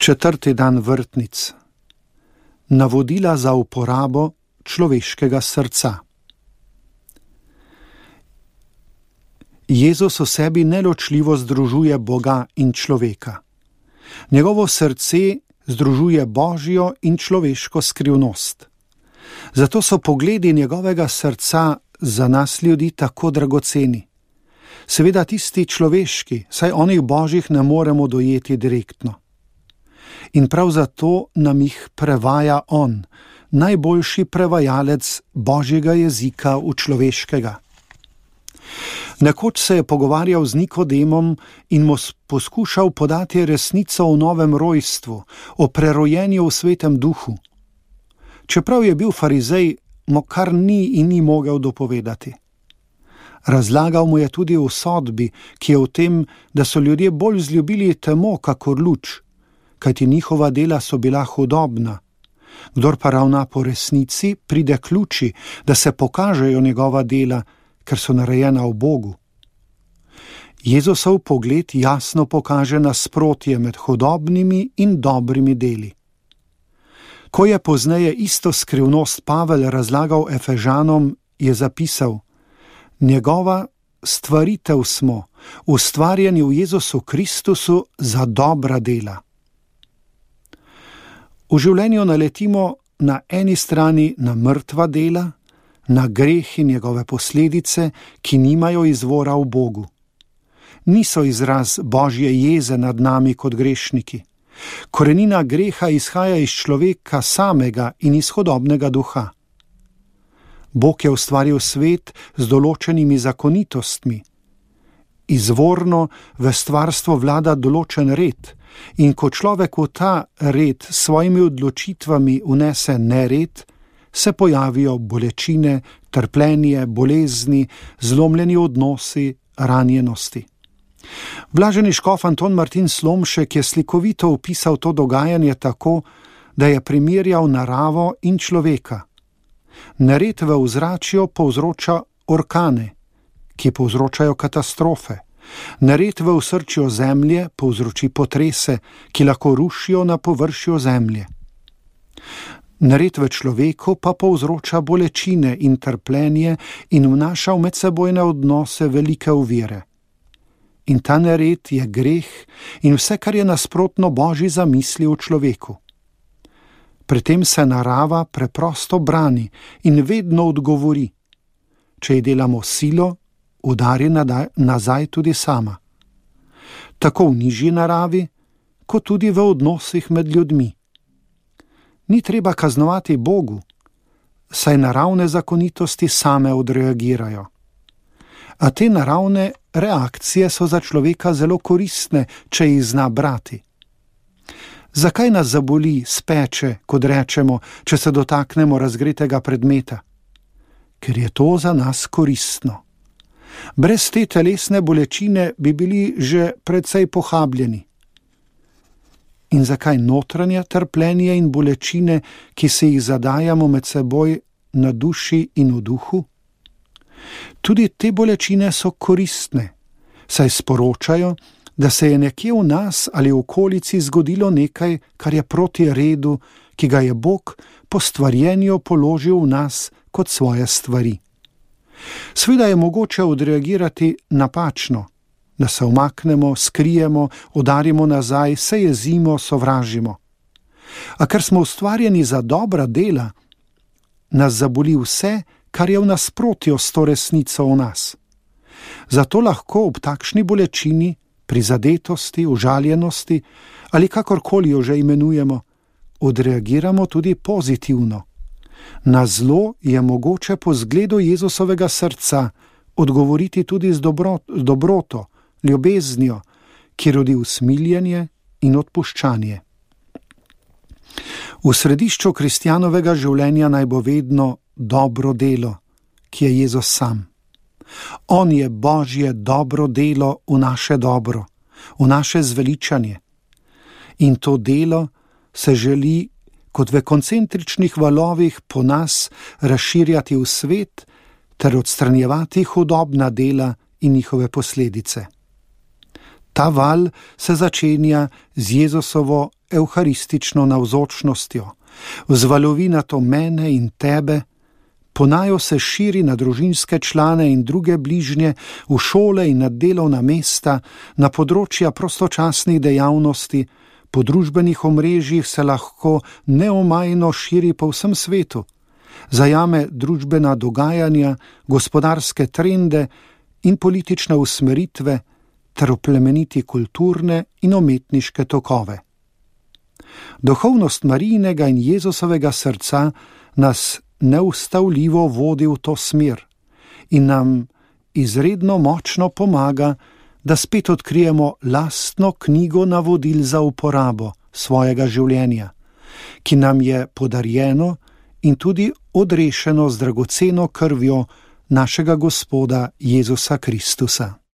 4. dan vrtnic. Navodila za uporabo človeškega srca. Jezus v sebi neločljivo združuje Boga in človeka. Njegovo srce združuje božjo in človeško skrivnost. Zato so pogledi njegovega srca za nas ljudi tako dragoceni. Seveda tisti človeški, saj onih božjih ne moremo dojeti direktno. In prav zato nam jih prevaja on, najboljši prevajalec božjega jezika v človeškega. Nekoč se je pogovarjal z Nikodemom in mu poskušal podati resnico o novem rojstvu, o prerojenju v svetem duhu. Čeprav je bil farizej, mu kar ni in ni mogel dopovedati. Razlagal mu je tudi o sodbi, ki je v tem, da so ljudje bolj vzljubili temo kakor luč, kajti njihova dela so bila hudobna. Kdor pa ravna po resnici, pride k luči, da se pokažejo njegova dela, ker so narejena v Bogu. Jezusov pogled jasno pokaže nasprotje med hudobnimi in dobrimi deli. Ko je pozneje isto skrivnost Pavel razlagal Efežanom, je zapisal: njegova stvaritev smo, ustvarjeni v Jezusu Kristusu za dobra dela. V življenju naletimo na eni strani na mrtva dela, na greh in njegove posledice, ki nimajo izvora v Bogu. Niso izraz božje jeze nad nami kot grešniki. Korenina greha izhaja iz človeka samega in iz hudobnega duha. Bog je ustvaril svet z določenimi zakonitostmi. Izvorno v stvarstvo vlada določen red, in ko človek v ta red s svojimi odločitvami vnese nered, se pojavijo bolečine, trpljenje, bolezni, zlomljeni odnosi, ranjenosti. Blaženi škof Anton Martin Slomšek je slikovito opisal to dogajanje tako, da je primerjal naravo in človeka. Nered v ozračju povzroča orkane, ki povzročajo katastrofe. Nered v osrčju zemlje povzroči potrese, ki lahko rušijo na površju zemlje. Nered v človeku pa povzroča bolečine in trpljenje in vnaša v medsebojne odnose velike ovire. In ta nered je greh in vse, kar je nasprotno božji zamisli v človeku. Pri tem se narava preprosto brani in vedno odgovori. Če ji delamo silo, udari nazaj tudi sama. Tako v nižji naravi, kot tudi v odnosih med ljudmi. Ni treba kaznovati Bogu, saj naravne zakonitosti same odreagirajo. A te naravne reakcije so za človeka zelo koristne, če jih zna brati. Zakaj nas zaboli, speče, kot rečemo, če se dotaknemo razgretega predmeta? Ker je to za nas koristno. Brez te telesne bolečine bi bili že precej pohabljeni. In zakaj notranje trpljenje in bolečine, ki se jih zadajamo med seboj na duši in v duhu? Tudi te bolečine so koristne, saj sporočajo, da se je nekje v nas ali v okolici zgodilo nekaj, kar je proti redu, ki ga je Bog po stvarjenju položil v nas kot svoje stvari. Seveda je mogoče odreagirati napačno, da se umaknemo, skrijemo, udarimo nazaj, se jezimo, sovražimo. A ker smo ustvarjeni za dobra dela, nas zaboli vse, kar je v nasprotju s to resnico v nas. Zato lahko ob takšni bolečini, prizadetosti, užaljenosti ali kakorkoli jo že imenujemo, odreagiramo tudi pozitivno. Na zlo je mogoče po zgledu Jezusovega srca odgovoriti tudi z dobroto, ljubeznijo, ki rodi usmiljenje in odpuščanje. V središču kristjanovega življenja naj bo vedno dobro delo, ki je Jezus sam. On je božje dobro delo v naše dobro, v naše zveličanje. In to delo se želi kot v koncentričnih valovih po nas razširjati v svet ter odstranjevati hudobna dela in njihove posledice. Ta val se začenja z Jezusovo evharistično navzočnostjo, vzvalovi na to mene in tebe, ponajo se širi na družinske člane in druge bližnje, v šole in na delovna mesta, na področja prostočasnih dejavnosti, po družbenih omrežjih se lahko neomajno širi po vsem svetu, zajame družbena dogajanja, gospodarske trende in politične usmeritve ter oplemeniti kulturne in umetniške tokove. Duhovnost Marijinega in Jezusovega srca nas neustavljivo vodi v to smer in nam izredno močno pomaga, da spet odkrijemo lastno knjigo navodil za uporabo svojega življenja, ki nam je podarjeno in tudi odrešeno z dragoceno krvjo našega Gospoda Jezusa Kristusa.